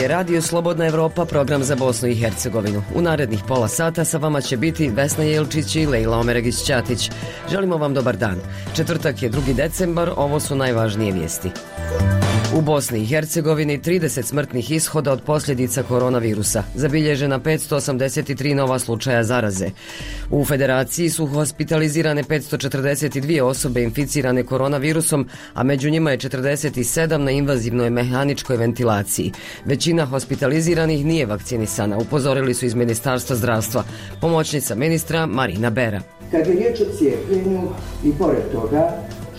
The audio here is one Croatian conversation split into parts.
je Radio Slobodna Evropa, program za Bosnu i Hercegovinu. U narednih pola sata sa vama će biti Vesna Jelčić i Lejla Omeregić-Ćatić. Želimo vam dobar dan. Četvrtak je 2. decembar, ovo su najvažnije vijesti. U Bosni i Hercegovini 30 smrtnih ishoda od posljedica koronavirusa, zabilježena 583 nova slučaja zaraze. U Federaciji su hospitalizirane 542 osobe inficirane koronavirusom, a među njima je 47 na invazivnoj mehaničkoj ventilaciji. Većina hospitaliziranih nije vakcinisana, upozorili su iz Ministarstva zdravstva. Pomoćnica ministra Marina Bera. Kad je riječ o cijepljenju i pored toga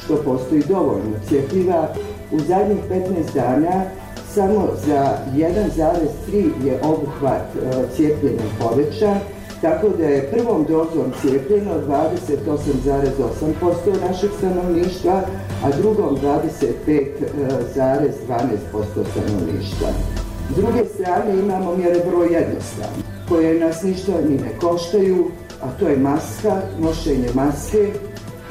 što postoji dovoljno cjepiva, u zadnjih 15 dana samo za 1,3 je obuhvat cijepljenja povećan, tako da je prvom dozom cijepljeno 28,8% našeg stanovništva, a drugom 25,12% stanovništva. S druge strane imamo mjere vrlo jednostavne, koje nas ništa ni ne koštaju, a to je maska, nošenje maske,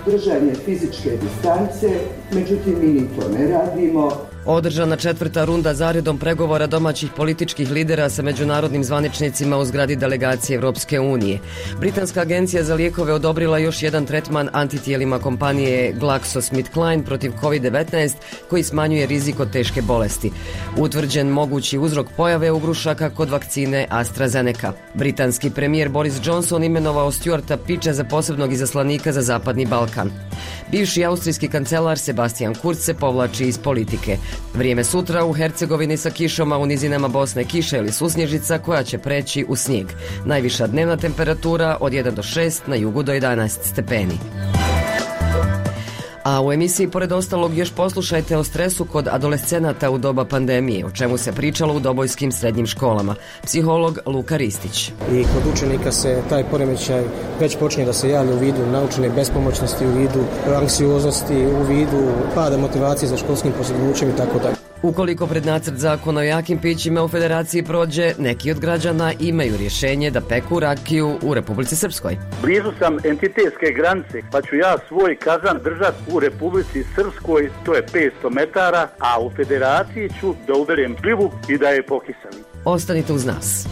držanje fizičke distance, međutim mi ni to ne radimo. Održana 4. runda zaredom pregovora domaćih političkih lidera sa međunarodnim zvaničnicima u zgradi delegacije Evropske unije. Britanska agencija za lijekove odobrila još jedan tretman antitijelima kompanije GlaxoSmithKline protiv COVID-19 koji smanjuje rizik od teške bolesti. Utvrđen mogući uzrok pojave ugrušaka kod vakcine AstraZeneca. Britanski premijer Boris Johnson imenovao Stuarta Piča za posebnog izaslanika za Zapadni Balkan. Bivši austrijski kancelar Sebastian Kurz se povlači iz politike. Vrijeme sutra u Hercegovini sa kišom, a u nizinama Bosne kiša ili susnježica koja će preći u snijeg. Najviša dnevna temperatura od 1 do 6, na jugu do 11 stepeni. A u emisiji pored ostalog još poslušajte o stresu kod adolescenata u doba pandemije, o čemu se pričalo u dobojskim srednjim školama. Psiholog Luka Ristić. I kod učenika se taj poremećaj već počinje da se javlja u vidu naučene bespomoćnosti, u vidu anksioznosti, u vidu pada motivacije za školskim postignućem i tako dalje. Ukoliko pred nacrt zakona o jakim pićima u Federaciji prođe, neki od građana imaju rješenje da peku rakiju u Republici Srpskoj. Blizu sam entitetske granice, pa ću ja svoj kazan držati u Republici Srpskoj, to je 500 metara, a u Federaciji ću da uberem šljivu i da je pokiselim. Ostanite uz nas.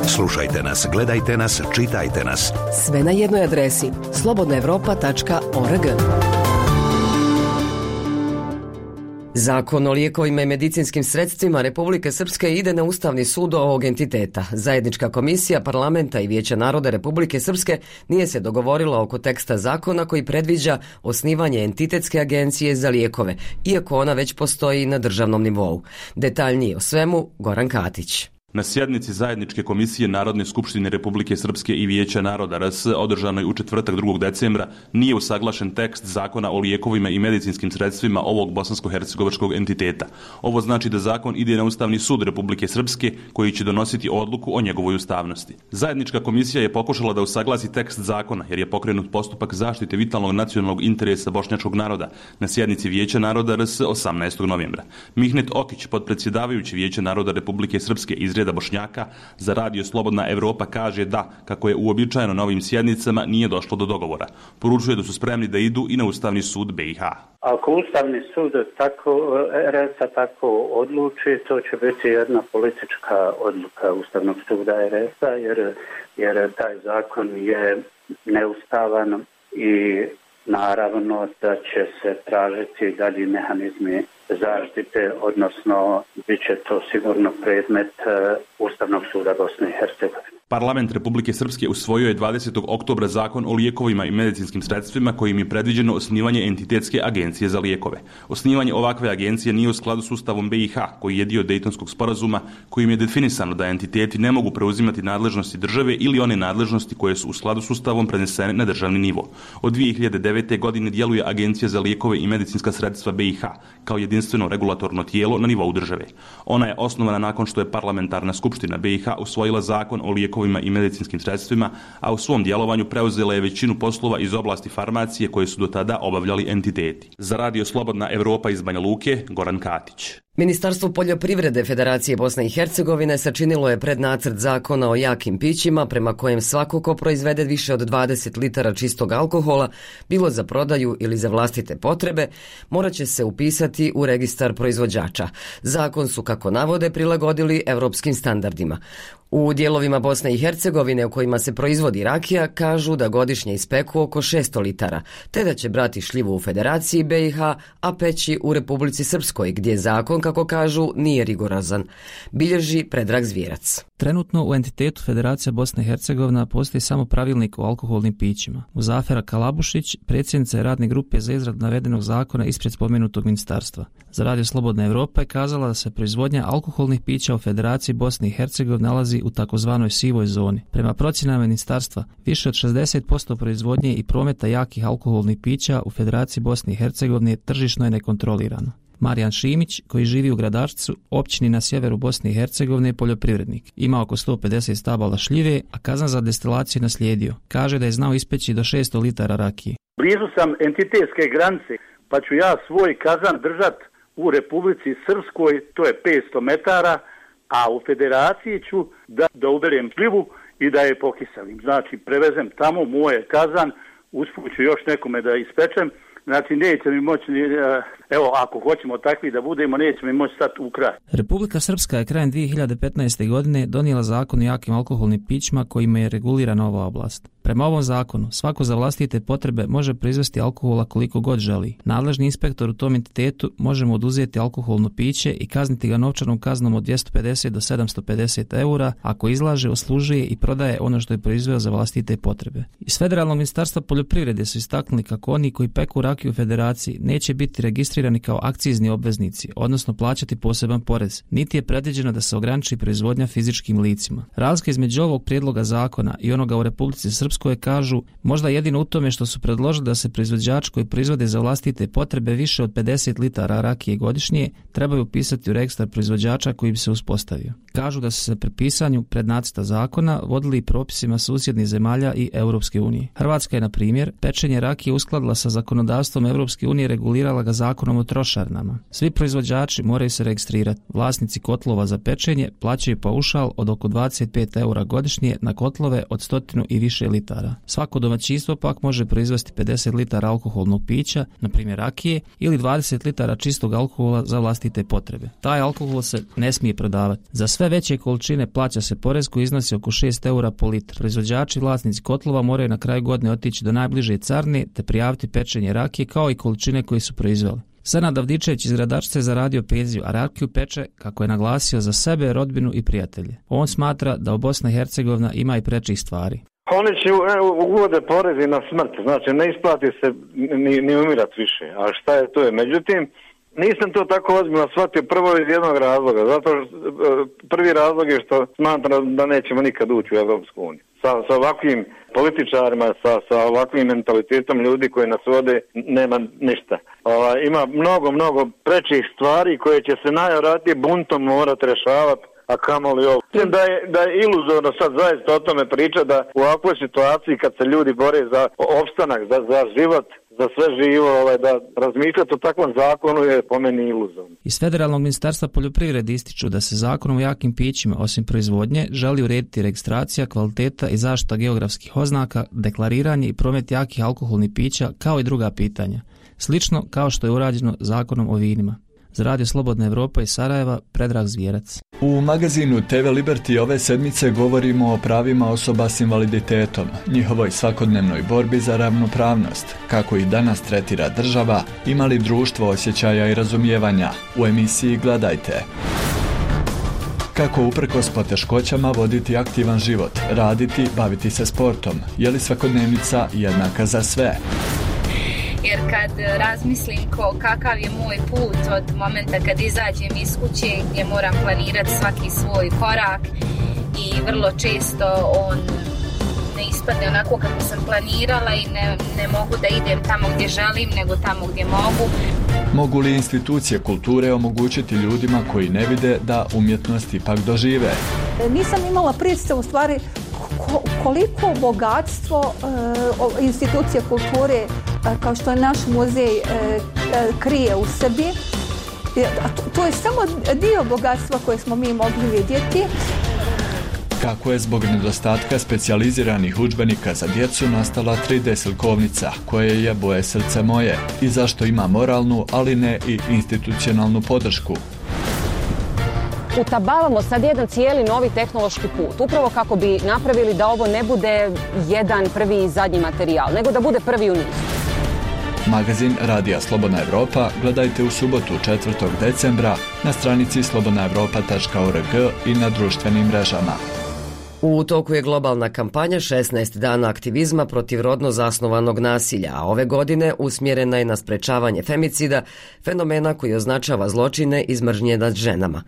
Slušajte nas, gledajte nas, čitajte nas. Sve na jednoj adresi slobodnaevropa.org. Zakon o lijekovima i medicinskim sredstvima Republike Srpske ide na Ustavni sud ovog entiteta. Zajednička komisija Parlamenta i Vijeća naroda Republike Srpske nije se dogovorila oko teksta zakona koji predviđa osnivanje entitetske agencije za lijekove, iako ona već postoji na državnom nivou. Detaljnije o svemu Goran Katić. Na sjednici Zajedničke komisije Narodne skupštine Republike Srpske i Vijeća naroda RS održanoj u četvrtak 2. decembra nije usaglašen tekst zakona o lijekovima i medicinskim sredstvima ovog bosansko-hercegovačkog entiteta. Ovo znači da zakon ide na Ustavni sud Republike Srpske koji će donositi odluku o njegovoj ustavnosti. Zajednička komisija je pokušala da usaglasi tekst zakona jer je pokrenut postupak zaštite vitalnog nacionalnog interesa bošnjačkog naroda na sjednici Vijeća naroda RS 18. novembra. Mihnet Okić, potpredsjedavajući Vijeća naroda Republike Srpske iz reda Bošnjaka, za Radio Slobodna Evropa kaže da, kako je uobičajeno na ovim sjednicama, nije došlo do dogovora. Poručuje da su spremni da idu i na Ustavni sud BiH. Ako Ustavni sud RS-a tako odluči, to će biti jedna politička odluka Ustavnog suda RS-a, jer taj zakon je neustavan i naravno da će se tražiti dalji mehanizmi zaštite, odnosno bit će to sigurno predmet Ustavnog suda Bosne i Hercegovine. Parlament Republike Srpske usvojio je 20. oktobra zakon o lijekovima i medicinskim sredstvima kojim je predviđeno osnivanje entitetske agencije za lijekove. Osnivanje ovakve agencije nije u skladu s Ustavom BiH, koji je dio Dejtonskog sporazuma, kojim je definisano da entiteti ne mogu preuzimati nadležnosti države ili one nadležnosti koje su u skladu s Ustavom prenesene na državni nivo. Od 2009. godine djeluje Agencija za lijekove i medicinska sredstva BiH kao jedinstveno regulatorno tijelo na nivou države. Ona je osnovana nakon što je Parlamentarna skupština BiH usvojila zakon o lijekovima i medicinskim sredstvima, a u svom djelovanju preuzela je većinu poslova iz oblasti farmacije koje su do tada obavljali entiteti. Za Radio Slobodna Evropa iz Banja Luke, Goran Katić. Ministarstvo poljoprivrede Federacije Bosne i Hercegovine sačinilo je prednacrt zakona o jakim pićima prema kojem svako ko proizvede više od 20 litara čistog alkohola, bilo za prodaju ili za vlastite potrebe, morat će se upisati u registar proizvođača. Zakon su, kako navode, prilagodili europskim standardima. U dijelovima Bosne i Hercegovine u kojima se proizvodi rakija kažu da godišnje ispeku oko 600 litara, te da će brati šljivu u Federaciji BiH, a peći u Republici Srpskoj, gdje zakon, kako kažu, nije rigorozan. Bilježi Predrag Zvjerac. Trenutno u entitetu Federacija Bosna i Hercegovina postoji samo pravilnik o alkoholnim pićima. Muzafera Kalabušić, predsjednica je radne grupe za izradu navedenog zakona ispred spomenutog ministarstva. Za Radio Slobodna Evropa je kazala da se proizvodnja alkoholnih pića u Federaciji Bosne i Hercegovine nalazi u takozvanoj sivoj zoni. Prema procjenama ministarstva, više od 60% proizvodnje i prometa jakih alkoholnih pića u Federaciji Bosne i Hercegovine tržišno je nekontrolirano. Marijan Šimić, koji živi u Gradačcu, općini na sjeveru Bosne i Hercegovine, je poljoprivrednik. Ima oko 150 stabala šljive, a kazan za destilaciju naslijedio. Kaže da je znao ispeći do 600 litara rakije. Blizu sam entitetske granice, pa ću ja svoj kazan držat u Republici Srpskoj, to je 500 metara, a u Federaciji ću da uberem šljivu i da je pokiselim. Znači, prevezem tamo moje kazan, usput ću još nekome da ispečem. Znači, neće mi moći, evo, ako hoćemo takvi da budemo, neće mi moći stati u kraj. Republika Srpska je krajem 2015. godine donijela zakon o jakim alkoholnim pićima kojima je regulirana ova oblast. Prema ovom zakonu, svako za vlastite potrebe može proizvesti alkohola koliko god želi. Nadležni inspektor u tom entitetu može mu oduzeti alkoholno piće i kazniti ga novčanom kaznom od 250 do 750 eura ako izlaže, oslužuje i prodaje ono što je proizveo za vlastite potrebe. Iz Federalnog ministarstva poljoprivrede su istaknuli kako oni koji peku rakiju u Federaciji neće biti registrirani kao akcizni obveznici, odnosno plaćati poseban porez, niti je predviđeno da se ograniči proizvodnja fizičkim licima. Razlika između ovog prijedloga zakona i onoga u Republici Srpskoj koje kažu možda jedino u tome što su predložili da se proizvođači koji proizvode za vlastite potrebe više od 50 litara rakije godišnje trebaju upisati u registar proizvođača koji bi se uspostavio. Kažu da su se pri pisanju prednacrta zakona vodili propisima susjednih zemalja i Europske unije. Hrvatska je, na primjer, pečenje rakije uskladila sa zakonodavstvom Europske unije, regulirala ga zakonom o trošarinama. Svi proizvođači moraju se registrirati. Vlasnici kotlova za pečenje plaćaju paušal od oko 25 eura godišnje na kotlove od 100 i više litara. Svako domaćinstvo pak može proizvesti 50 litara alkoholnog pića, na primjer rakije, ili 20 litara čistog alkohola za vlastite potrebe. Taj alkohol se ne smije prodavati. Za sve veće količine plaća se porez koji iznosi oko 6 eura po litru. Proizvođači i vlasnici kotlova moraju na kraju godine otići do najbliže carine te prijaviti pečenje rakije kao i količine koje su proizveli. Senad Avdičević iz Gradačca je zaradio penziju, a rakiju peče, kako je naglasio, za sebe, rodbinu i prijatelje. On smatra da u Bosna i Hercegovina ima i prečih stvari. Oni će uvode porezi na smrt, znači ne isplati se ni umirat više, a šta je to je. Međutim, nisam to tako ozbiljno shvatio prvo iz jednog razloga, zato što prvi razlog je što smatram da nećemo nikad ući u Evropsku uniju. Sa ovakvim političarima, sa ovakvim mentalitetom ljudi koji nas vode, nema ništa. Ima mnogo prečih stvari koje će se najvjerojatnije buntom morati rješavati, a kamoli ovo. Mislim da je iluzorno sad zaista o tome priča da u ovakvoj situaciji kad se ljudi bore za opstanak, za život, za sve živo, da razmišljati o takvom zakonu je po meni iluzorno. Iz Federalnog ministarstva poljoprivrede ističu da se zakonom o jakim pićima, osim proizvodnje, želi urediti registracija, kvaliteta i zaštita geografskih oznaka, deklariranje i promet jakih alkoholnih pića, kao i druga pitanja. Slično kao što je urađeno zakonom o vinima. Za Radio Slobodna Evropa iz Sarajeva, Predrag Zvjerac. U magazinu TV Liberty ove sedmice govorimo o pravima osoba s invaliditetom, njihovoj svakodnevnoj borbi za ravnopravnost, kako ih danas tretira država, ima li društvo osjećaja i razumijevanja. U emisiji Gledajte. Kako uprkos poteškoćama voditi aktivan život, raditi, baviti se sportom, je li svakodnevnica jednaka za sve? Jer kad razmislim kakav je moj put od momenta kad izađem iz kuće gdje moram planirati svaki svoj korak i vrlo često on ne ispadne onako kako sam planirala i ne mogu da idem tamo gdje želim nego tamo gdje mogu. Mogu li institucije kulture omogućiti ljudima koji ne vide da umjetnost ipak dožive? Nisam imala predstavu u stvari koliko bogatstvo institucije kulture kao što je naš muzej krije u sebi To je samo dio bogatstva koje smo mi mogli vidjeti. Kako je zbog nedostatka specijaliziranih udžbenika za djecu nastala 3D slikovnica koja je Boje srce moje i zašto ima moralnu, ali ne i institucionalnu podršku. Utabavamo sad jedan cijeli novi tehnološki put, upravo kako bi napravili da ovo ne bude jedan prvi i zadnji materijal, nego da bude prvi u nizu. Magazin Radija Slobodna Evropa gledajte u subotu 4. decembra na stranici slobodnaevropa.org i na društvenim mrežama. U toku je globalna kampanja 16 dana aktivizma protiv rodno zasnovanog nasilja, a ove godine usmjerena je na sprečavanje femicida, fenomena koji označava zločine iz mržnje nad ženama.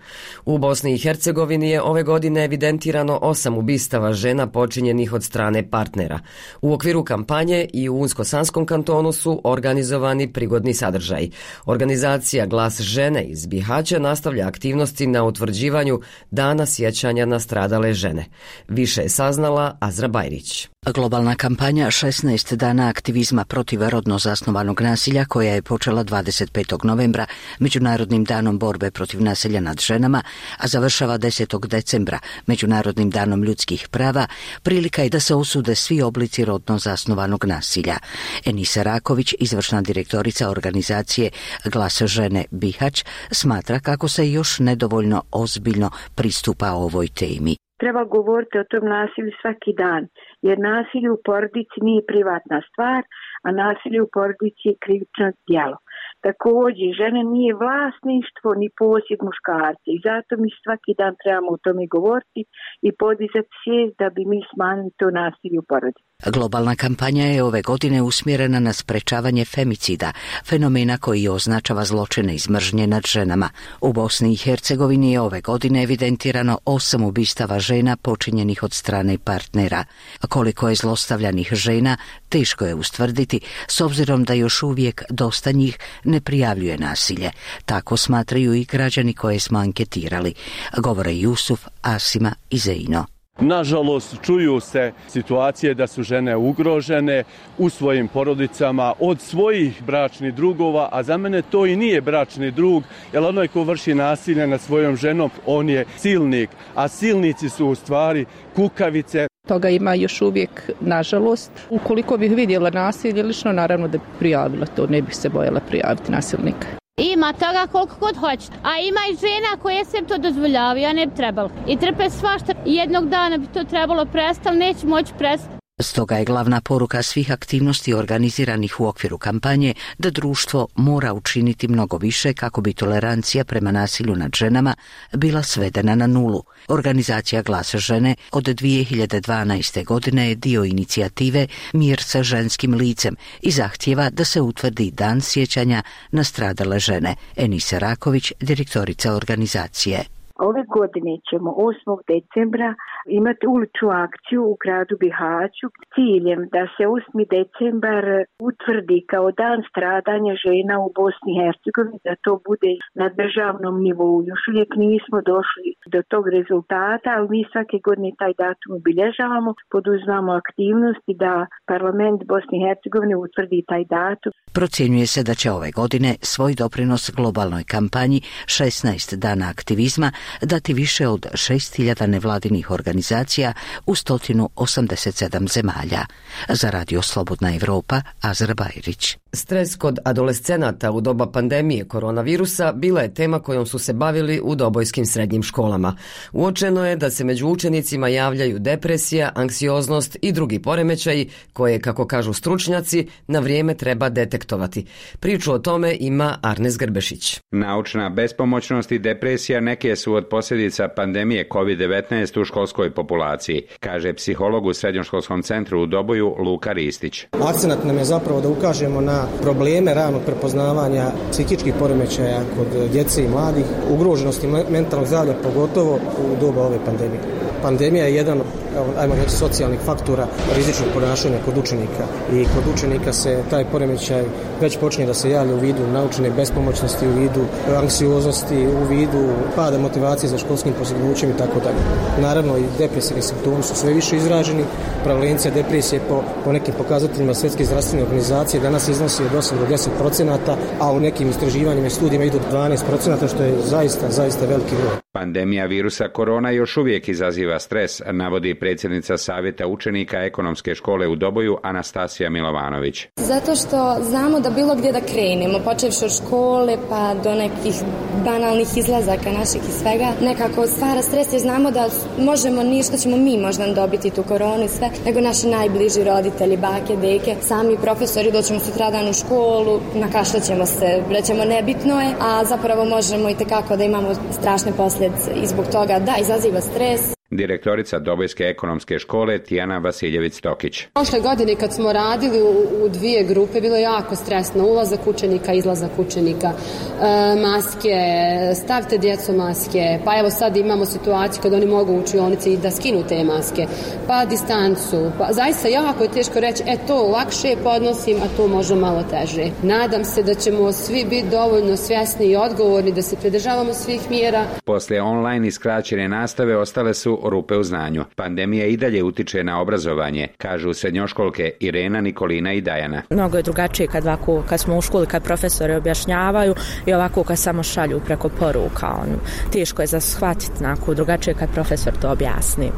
U Bosni i Hercegovini je ove godine evidentirano 8 ubistava žena počinjenih od strane partnera. U okviru kampanje i u Unsko-Sanskom kantonu su organizovani prigodni sadržaji. Organizacija Glas žene iz Bihaća nastavlja aktivnosti na utvrđivanju Dana sjećanja na stradale žene. Više je saznala Azra Bajrić. Globalna kampanja 16 dana aktivizma protiv rodno zasnovanog nasilja koja je počela 25. novembra Međunarodnim danom borbe protiv nasilja nad ženama, a završava 10. decembra Međunarodnim danom ljudskih prava, prilika je da se osude svi oblici rodno zasnovanog nasilja. Enisa Raković, izvršna direktorica organizacije Glas žene Bihać, smatra kako se još nedovoljno ozbiljno pristupa ovoj temi. Treba govoriti o tom nasilju svaki dan, jer nasilje u porodici nije privatna stvar, a nasilje u porodici je krivično djelo. Također, žena nije vlasništvo ni posjed muškarca i zato mi svaki dan trebamo o tome govoriti i podizati svijest da bi mi smanjili to nasilje u porodici. Globalna kampanja je ove godine usmjerena na sprečavanje femicida, fenomena koji označava zločine iz mržnje nad ženama. U Bosni i Hercegovini je ove godine evidentirano 8 ubistava žena počinjenih od strane partnera. Koliko je zlostavljanih žena, teško je ustvrditi, s obzirom da još uvijek dosta njih ne prijavljuje nasilje. Tako smatraju i građani koje smo anketirali, govore Jusuf, Asima i Zeino. Nažalost, čuju se situacije da su žene ugrožene u svojim porodicama od svojih bračnih drugova, a za mene to i nije bračni drug, jer onaj ko vrši nasilje nad svojom ženom, on je silnik, a silnici su u stvari kukavice. Toga ima još uvijek, nažalost. Ukoliko bih vidjela nasilje, lično naravno da bi prijavila to, ne bih se bojala prijaviti nasilnika. Ima toga koliko god hoćete, a ima i žena koje se to dozvoljavaju, a ne bi trebalo. I trpe svašta, jednog dana bi to trebalo prestati, neće moći prestati. Stoga je glavna poruka svih aktivnosti organiziranih u okviru kampanje da društvo mora učiniti mnogo više kako bi tolerancija prema nasilju nad ženama bila svedena na nulu. Organizacija Glas žene od 2012. godine je dio inicijative Mir sa ženskim licem i zahtijeva da se utvrdi dan sjećanja na stradale žene. Enisa Raković, direktorica organizacije. Ove godine ćemo 8. decembra imati uličnu akciju u gradu Bihaću s ciljem da se 8. decembar utvrdi kao dan stradanja žena u Bosni i Hercegovini, da to bude na državnom nivou. Još uvijek nismo došli do tog rezultata, ali mi svake godine taj datum obilježavamo, poduzimamo aktivnosti da parlament Bosne i Hercegovine utvrdi taj datum. Procjenjuje se da će ove godine svoj doprinos globalnoj kampanji 16 dana aktivizma dati više od 6.000 nevladinih organizacija u 187 zemalja. Za Radio Slobodna Evropa, Azra Bajrić. Stres kod adolescenata u doba pandemije koronavirusa bila je tema kojom su se bavili u dobojskim srednjim školama. Uočeno je da se među učenicima javljaju depresija, anksioznost i drugi poremećaji koje, kako kažu stručnjaci, na vrijeme treba detektovati. Priču o tome ima Arnes Grbešić. Naučna bespomoćnost i depresija neke su od posljedica pandemije COVID-19 u školskoj populaciji, kaže psiholog u Srednjoškolskom centru u Doboju Luka Ristić. Akcenat nam je zapravo da ukažemo na probleme ranog prepoznavanja psihičkih poremećaja kod djece i mladih, ugroženosti mentalnog zdravlja, pogotovo u doba ove pandemije. Pandemija je jedan kao, ajmo reći, socijalnih faktora rizičnog ponašanja kod učenika. I kod učenika se taj poremećaj već počinje da se javlja u vidu naučene bespomoćnosti, u vidu anksioznosti, u vidu pada motivacije za školskim postignućem i tako dalje. Naravno i depresivni simptomi su sve više izraženi. Prevalencija depresije po nekim pokazateljima Svjetske zdravstvene organizacije danas iznosi od 8 do 10%, a u nekim istraživanjima i studijima idu 12%, što je zaista veliki broj. Pandemija virusa korona još uvijek izaziva stres, navodi predsjednica Savjeta učenika Ekonomske škole u Doboju Anastasija Milovanović. Zato što znamo da bilo gdje da krenemo, počevši od škole pa do nekih banalnih izlazaka naših i svega, nekako stvara stres jer znamo da možemo ništa ćemo mi možda dobiti tu koronu i sve, nego naši najbliži roditelji, bake, deke, sami profesori, doćemo sutradan u školu, nakašljaćemo se, rećemo nebitno je, a zapravo možemo i tekako da imamo strašne posljedice i zbog toga da izaziva stres. Direktorica Dobojske ekonomske škole Tijana Vasiljević-Tokić. Prošle godine kad smo radili u dvije grupe bilo je jako stresno, ulazak učenika, izlazak učenika, maske, stavite djecu maske, pa evo sad imamo situaciju kad oni mogu u učionici i da skinu te maske, pa distancu, pa zaista jako je teško reći, to lakše podnosim, a to možda malo teže. Nadam se da ćemo svi biti dovoljno svjesni i odgovorni da se pridržavamo svih mjera. Poslije online i skraćene nastave ostale su rupe u znanju. Pandemija i dalje utiče na obrazovanje, kažu srednjoškolke Irena, Nikolina i Dajana. Mnogo je drugačije kad smo u školi, kad profesori objašnjavaju i ovako kad samo šalju preko poruka. Teško je za shvatiti, drugačije kad profesor to objasni.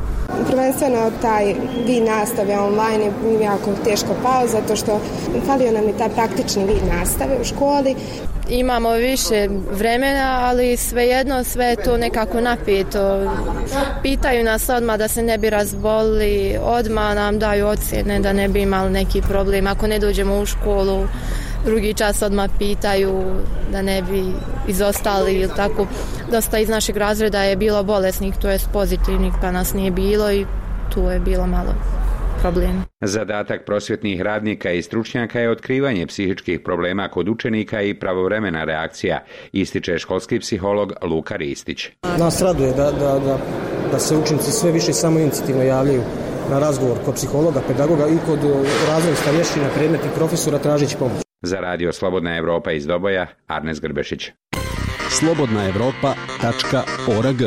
Prvenstveno taj vid nastave online je jako teško pao, zato što falio nam je taj praktični vid nastave u školi. Imamo više vremena, ali svejedno sve je to nekako napeto. Pitaju nas odmah da se ne bi razbolili, odmah nam daju ocjene da ne bi imali neki problem. Ako ne dođemo u školu, drugi čas odmah pitaju da ne bi izostali ili tako. Dosta iz našeg razreda je bilo bolesnih, to je pozitivnih, pa nas nije bilo i tu je bilo malo problem. Zadatak prosvjetnih radnika i stručnjaka je otkrivanje psihičkih problema kod učenika i pravovremena reakcija, ističe školski psiholog Luka Ristić. Nas raduje da se učenici sve više samoinicijativno javljaju na razgovor kod psihologa, pedagoga i kod razrednih starješina, predmetnih profesora tražeći pomoć. Za radio Slobodna Evropa iz Doboja, Arnes Grbešić. slobodnaevropa.org.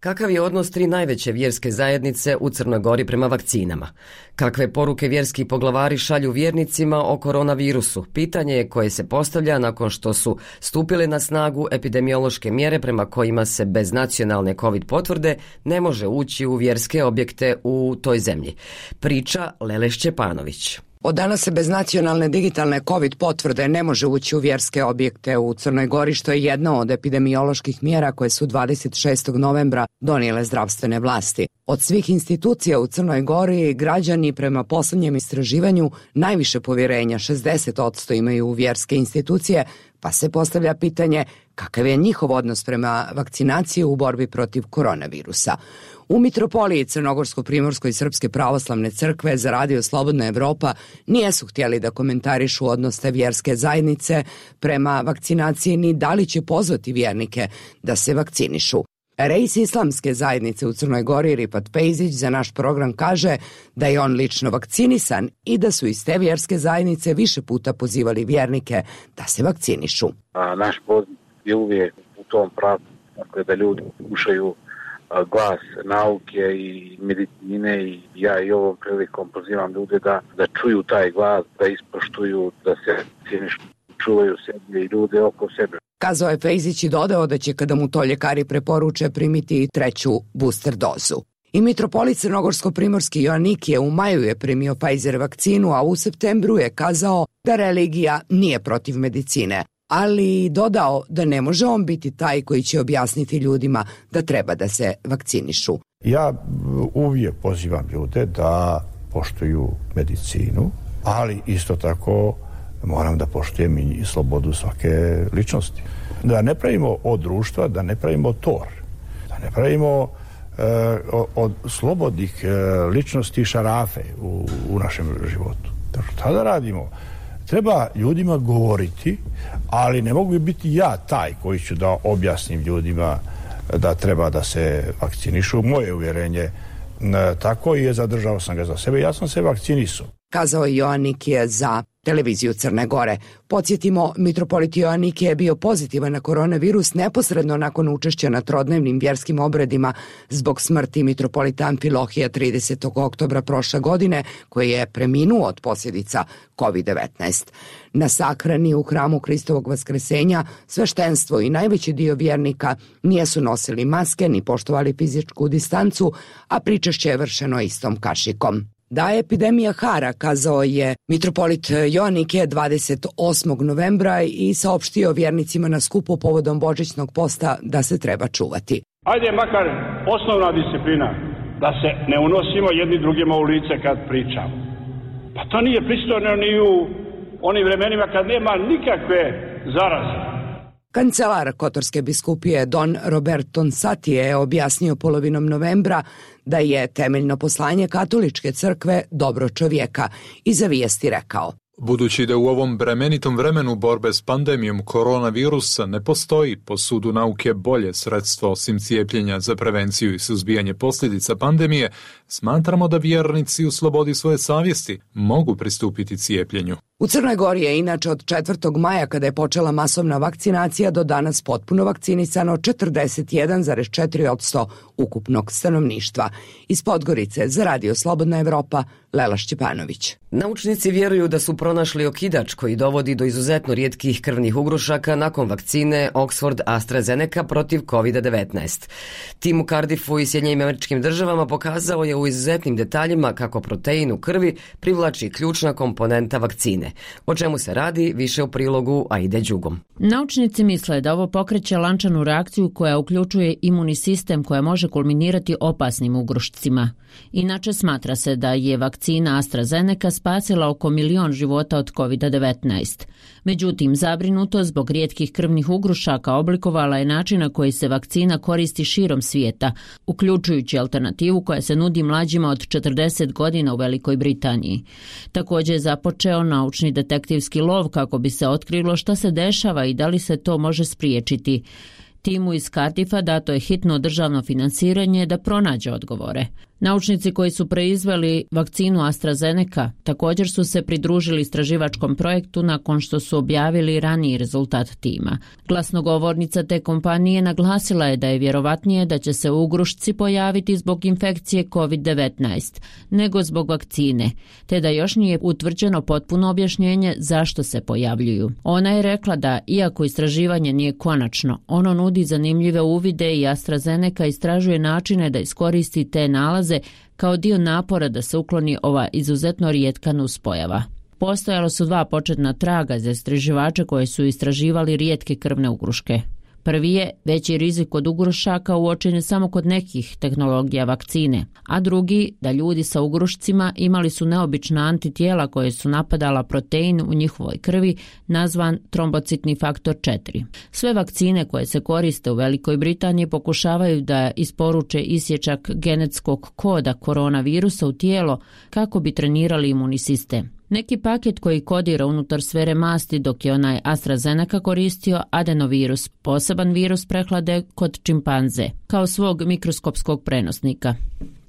Kakav je odnos 3 najveće vjerske zajednice u Crnoj Gori prema vakcinama? Kakve poruke vjerski poglavari šalju vjernicima o koronavirusu? Pitanje je koje se postavlja nakon što su stupile na snagu epidemiološke mjere prema kojima se bez nacionalne COVID potvrde ne može ući u vjerske objekte u toj zemlji. Priča Lele Šćepanović. Od danas se bez nacionalne digitalne COVID potvrde ne može ući u vjerske objekte u Crnoj Gori, što je jedna od epidemioloških mjera koje su 26. novembra donijele zdravstvene vlasti. Od svih institucija u Crnoj Gori građani prema posljednjem istraživanju najviše povjerenja, 60% imaju u vjerske institucije, pa se postavlja pitanje kakav je njihov odnos prema vakcinaciji u borbi protiv koronavirusa. U Mitropoliji Crnogorsko-Primorskoj Srpske pravoslavne crkve za radio Slobodna Evropa nijesu htjeli da komentarišu odnos te vjerske zajednice prema vakcinaciji ni da li će pozvati vjernike da se vakcinišu. Rejs islamske zajednice u Crnoj Gori Rifat Pejzić za naš program kaže da je on lično vakcinisan i da su iz te vjerske zajednice više puta pozivali vjernike da se vakcinišu. Naš poziv je uvijek u tom pravcu, dakle, da ljudi slušaju glas nauke i medicine i ja i ovom prilikom pozivam ljude da čuju taj glas, da ispoštuju, da se vakcinišu, čuvaju sebe i ljude oko sebe. Kazao je Fejzić i dodao da će kada mu to ljekari preporuče primiti i 3. booster dozu. I mitropolit Crnogorsko-Primorski Joannikije u maju je primio Pfizer vakcinu, a u septembru je kazao da religija nije protiv medicine, ali dodao da ne može on biti taj koji će objasniti ljudima da treba da se vakcinišu. Ja uvijek pozivam ljude da poštuju medicinu, ali isto tako moram da poštujem i slobodu svake ličnosti. Da ne pravimo od društva, da ne pravimo tor, da ne pravimo od slobodnih ličnosti šarafe u našem životu. Šta da radimo? Treba ljudima govoriti, ali ne mogu biti ja taj koji ću da objasnim ljudima da treba da se vakcinišu. Moje uvjerenje tako i zadržao sam ga za sebe. Ja sam se vakcinisao. Kazao je Joannikije za televiziju Crne Gore. Podsjetimo, mitropolit Joannikije je bio pozitivan na koronavirus neposredno nakon učešća na trodnevnim vjerskim obredima zbog smrti mitropolita Amfilohija 30. oktobra prošle godine, koji je preminuo od posljedica COVID-19. Na sahrani u hramu Hristovog Vaskresenja sveštenstvo i najveći dio vjernika nisu nosili maske ni poštovali fizičku distancu, a pričešće je vršeno istom kašikom. Da je epidemija hara, kazao je mitropolit Joannike 28. novembra i saopštio vjernicima na skupu povodom božićnog posta da se treba čuvati. Ajde makar osnovna disciplina, da se ne unosimo jedni drugima u lice kad pričamo. Pa to nije pristojno ni u onim vremenima kad nema nikakve zaraze. Kancelar Kotorske biskupije Don Robert Tonsati je objasnio polovinom novembra da je temeljno poslanje katoličke crkve dobro čovjeka i za vijesti rekao: Budući da u ovom bremenitom vremenu borbe s pandemijom koronavirusa ne postoji po sudu nauke bolje sredstvo osim cijepljenja za prevenciju i suzbijanje posljedica pandemije, smatramo da vjernici u slobodi svoje savjesti mogu pristupiti cijepljenju. U Crnoj Gori je inače od 4. maja, kada je počela masovna vakcinacija, do danas potpuno vakcinisano 41,4% ukupnog stanovništva. Iz Podgorice za Radio Slobodna Evropa, Lela Šćepanović. Naučnici vjeruju da su pronašli okidač koji dovodi do izuzetno rijetkih krvnih ugrušaka nakon vakcine Oxford AstraZeneca protiv COVID-19. Tim u Cardiffu i Sjedinjenim Američkim Državama pokazao je u izuzetnim detaljima kako protein u krvi privlači ključna komponenta vakcine. O čemu se radi, više u prilogu Aide Đugom. Naučnici misle da ovo pokreće lančanu reakciju koja uključuje imunni sistem koja može kulminirati opasnim ugrušcima. Inače, smatra se da je vakcina AstraZeneca spasila oko 1 milion života od COVID-19. Međutim, zabrinutost zbog rijetkih krvnih ugrušaka oblikovala je način na koji se vakcina koristi širom svijeta, uključujući alternativu koja se nudi mlađima od 40 godina u Velikoj Britaniji. Također je započeo naučni detektivski lov kako bi se otkrilo šta se dešava i da li se to može spriječiti. Timu iz Cardiffa dato je hitno državno finansiranje da pronađe odgovore. Naučnici koji su proizveli vakcinu AstraZeneca također su se pridružili istraživačkom projektu nakon što su objavili raniji rezultat tima. Glasnogovornica te kompanije naglasila je da je vjerovatnije da će se ugrušci pojaviti zbog infekcije COVID-19 nego zbog vakcine, te da još nije utvrđeno potpuno objašnjenje zašto se pojavljuju. Ona je rekla da, iako istraživanje nije konačno, ono nudi zanimljive uvide i AstraZeneca istražuje načine da iskoristi te nalaze kao dio napora da se ukloni ova izuzetno rijetka nuspojava. Postojalo su 2 početna traga za istraživače koji su istraživali rijetke krvne ugruške. Prvi je veći rizik od ugrušaka uočen je samo kod nekih tehnologija vakcine, a drugi da ljudi sa ugrušcima imali su neobična antitijela koje su napadala protein u njihovoj krvi nazvan trombocitni faktor 4. Sve vakcine koje se koriste u Velikoj Britaniji pokušavaju da isporuče isječak genetskog koda koronavirusa u tijelo kako bi trenirali imunni sistem. Neki paket koji kodira unutar sfere masti, dok je onaj AstraZeneca koristio adenovirus, poseban virus prehlade kod čimpanze, kao svog mikroskopskog prenosnika.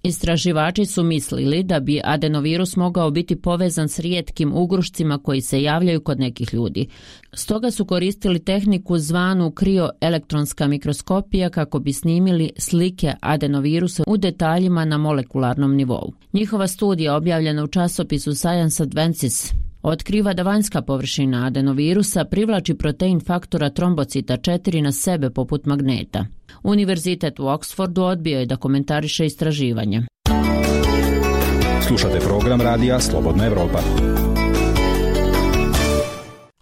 Istraživači su mislili da bi adenovirus mogao biti povezan s rijetkim ugrušcima koji se javljaju kod nekih ljudi. Stoga su koristili tehniku zvanu krioelektronska mikroskopija kako bi snimili slike adenovirusa u detaljima na molekularnom nivou. Njihova studija, objavljena u časopisu Science Advances, otkriva da vanjska površina adenovirusa privlači protein faktora trombocita 4 na sebe poput magneta. Univerzitet u Oxfordu odbio je da komentariše istraživanje. Slušate program radija Slobodna Evropa.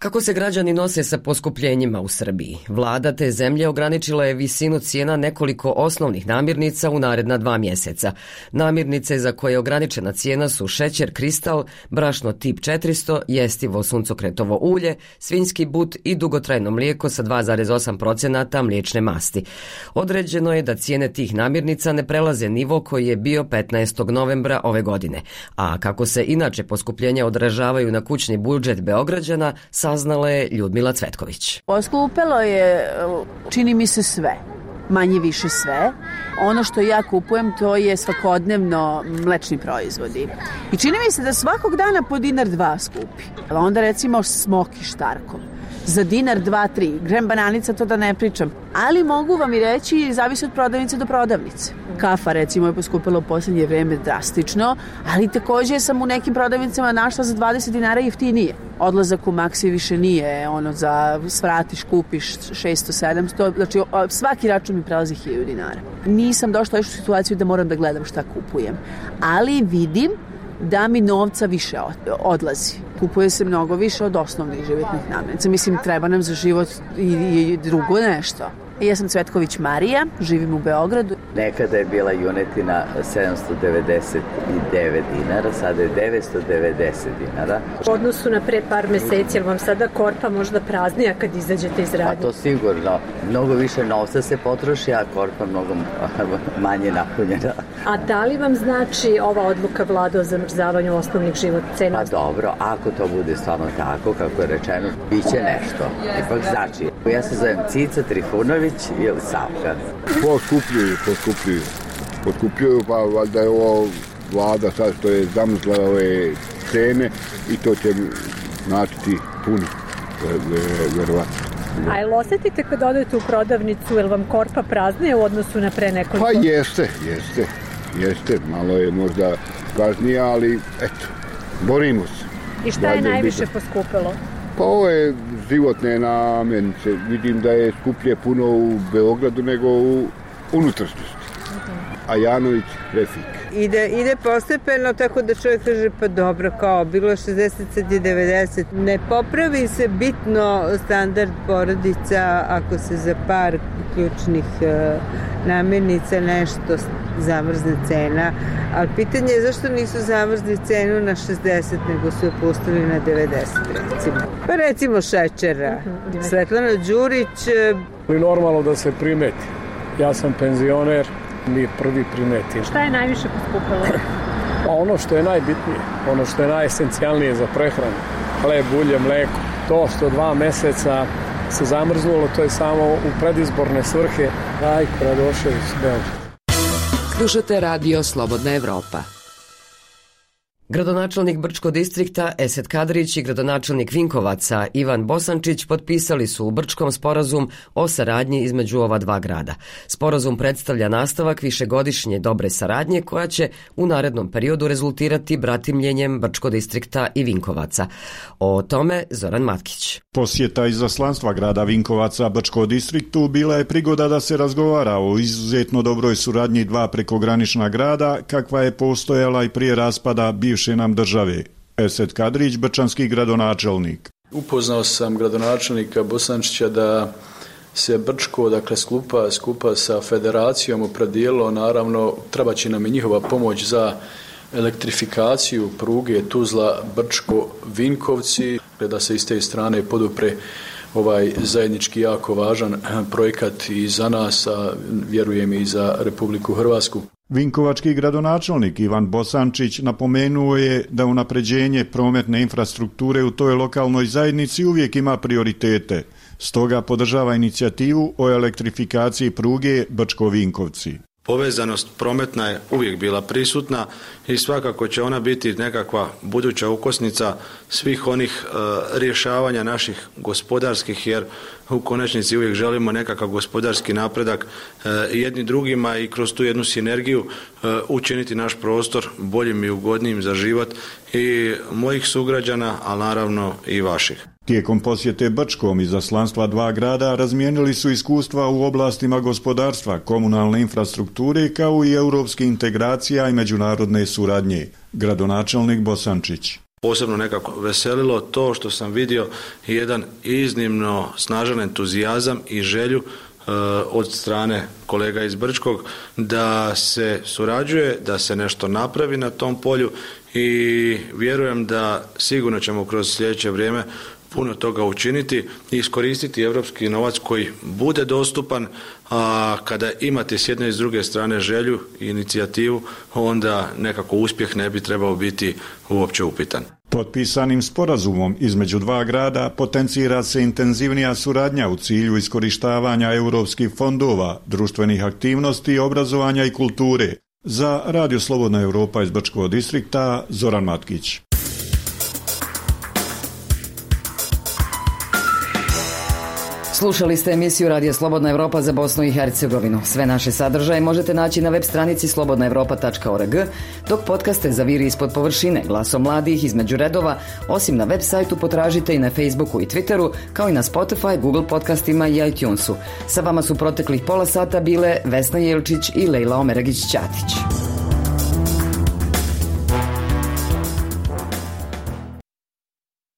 Kako se građani nose sa poskupljenjima u Srbiji? Vlada te zemlje ograničila je visinu cijena nekoliko osnovnih namirnica u naredna 2 mjeseca. Namirnice za koje je ograničena cijena su šećer kristal, brašno tip 400, jestivo suncokretovo ulje, svinjski but i dugotrajno mlijeko sa 2,8% mliječne masti. Određeno je da cijene tih namirnica ne prelaze nivo koji je bio 15. novembra ove godine. A kako se inače poskupljenja odražavaju na kućni budžet Beograđana, saznala je Ljudmila Cvetković. Poskupelo je, čini mi se, sve. manje više sve. Ono što ja kupujem to je svakodnevno mlečni proizvodi. I čini mi se da svakog dana po $1-2 skupi. Onda recimo smoki štarkom. Za $1-2-3. Grem bananica, to da ne pričam. Ali mogu vam i reći, zavisi od prodavnice do prodavnice. Kafa recimo je poskupila u posljednje vreme drastično, ali također sam u nekim prodavnicama našla za $20 jeftinije. Odlazak u Maxi više nije ono za svratiš, kupiš 600-700, znači svaki račun mi prelazi $1000. Nisam došla još u situaciju da moram da gledam šta kupujem, ali vidim da mi novca više odlazi. Kupuje se mnogo više od osnovnih životnih namirnica. Mislim, treba nam za život i drugo nešto. Ja sam Cvetković Marija, živim u Beogradu. Nekada je bila junetina $799, sada je $990. U odnosu na pre par meseci, jer vam sada korpa možda praznija kad izađete iz radnje? Pa to sigurno. Mnogo više novca se potroši, a korpa mnogo manje napunjena. A da li vam znači ova odluka Vlade o zamrzavanju osnovnih životnih cena? Pa dobro, ako to bude stvarno tako, kako je rečeno, bit će nešto. Ipak znači, ja se zovem Cica Trifunović ili Savka. Poskupljuju, pa valjda je ovo Vlada sad što je zamrzla ove cene i to će značiti puno, verovatno. A jel osjetite kad odete u prodavnicu, jel vam korpa praznije u odnosu na pre nekoliko? Pa jeste, malo je možda praznija, ali eto, borimo se. I šta je najviše poskupilo? Pa ovo je životne namirnice. Vidim da je skuplje puno u Beogradu nego u unutrašnjosti. A Janović Refik. Ide postepeno, tako da čovjek kaže pa dobro, kao bilo je 60, sad je 90. Ne popravi se bitno standard porodica ako se za par ključnih namirnica nešto zamrzne cena. Ali pitanje je zašto nisu zamrzli cenu na 60, nego su je pustili na 90, recimo. Pa recimo šećera. Svetlana Đurić. Normalno da se primeti. Ja sam penzioner, mi prvi primetimo. Šta je najviše poskupilo? Pa ono što je najbitnije, ono što je najesencijalnije za prehranu. Hleb, ulje, mleko. To što 2 meseca se zamrznulo, to je samo u predizborne svrhe. Rajko Radošević, Beograd. Slušate radio Slobodna Evropa. Gradonačelnik Brčko distrikta Esed Kadrić i gradonačelnik Vinkovaca Ivan Bosančić potpisali su u Brčkom sporazum o saradnji između ova dva grada. Sporazum predstavlja nastavak višegodišnje dobre saradnje koja će u narednom periodu rezultirati bratimljenjem Brčko distrikta i Vinkovaca. O tome Zoran Matkić. Posjeta izaslanstva grada Vinkovaca Brčko distriktu bila je prigoda da se razgovara o izuzetno dobroj suradnji dva prekogranična grada kakva je postojala i prije raspada bivše nam države. Esed Kadrić, brčanski gradonačelnik. Upoznao sam gradonačelnika Bosančića da se Brčko, dakle skupa sa federacijom opredijelilo, naravno treba će nam i njihova pomoć za elektrifikaciju pruge Tuzla Brčko Vinkovci, da se iz te strane podupre ovaj zajednički jako važan projekat i za nas, a vjerujem i za Republiku Hrvatsku. Vinkovački gradonačelnik Ivan Bosančić napomenuo je da unapređenje prometne infrastrukture u toj lokalnoj zajednici uvijek ima prioritete, stoga podržava inicijativu o elektrifikaciji pruge Brčko-Vinkovci. Povezanost prometna je uvijek bila prisutna i svakako će ona biti nekakva buduća ukosnica svih onih rješavanja naših gospodarskih, jer u konačnici uvijek želimo nekakav gospodarski napredak jedni drugima i kroz tu jednu sinergiju učiniti naš prostor boljim i ugodnijim za život i mojih sugrađana, a naravno i vaših. Tijekom posjete Brčkom izaslanstva dva grada razmijenili su iskustva u oblastima gospodarstva, komunalne infrastrukture kao i europske integracija i međunarodne suradnje. Gradonačelnik Bosančić. Posebno nekako veselilo to što sam vidio jedan iznimno snažan entuzijazam i želju od strane kolega iz Brčkog da se surađuje, da se nešto napravi na tom polju i vjerujem da sigurno ćemo kroz sljedeće vrijeme puno toga učiniti i iskoristiti europski novac koji bude dostupan, a kada imate s jedne i s druge strane želju i inicijativu, onda nekako uspjeh ne bi trebao biti uopće upitan. Potpisanim sporazumom između dva grada potencira se intenzivnija suradnja u cilju iskorištavanja europskih fondova, društvenih aktivnosti, obrazovanja i kulture. Za Radio Slobodna Europa iz Brčkog distrikta, Zoran Matkić. Slušali ste emisiju Radija Slobodna Europa za Bosnu i Hercegovinu. Sve naše sadržaje možete naći na web stranici slobodnaevropa.org, dok podcaste za Viri ispod površine, Glasom mladih, Između redova, osim na web sajtu potražite i na Facebooku i Twitteru, kao i na Spotify, Google podcastima i iTunesu. Sa vama su proteklih pola sata bile Vesna Jelčić i Lejla Omeragić-Ćatić.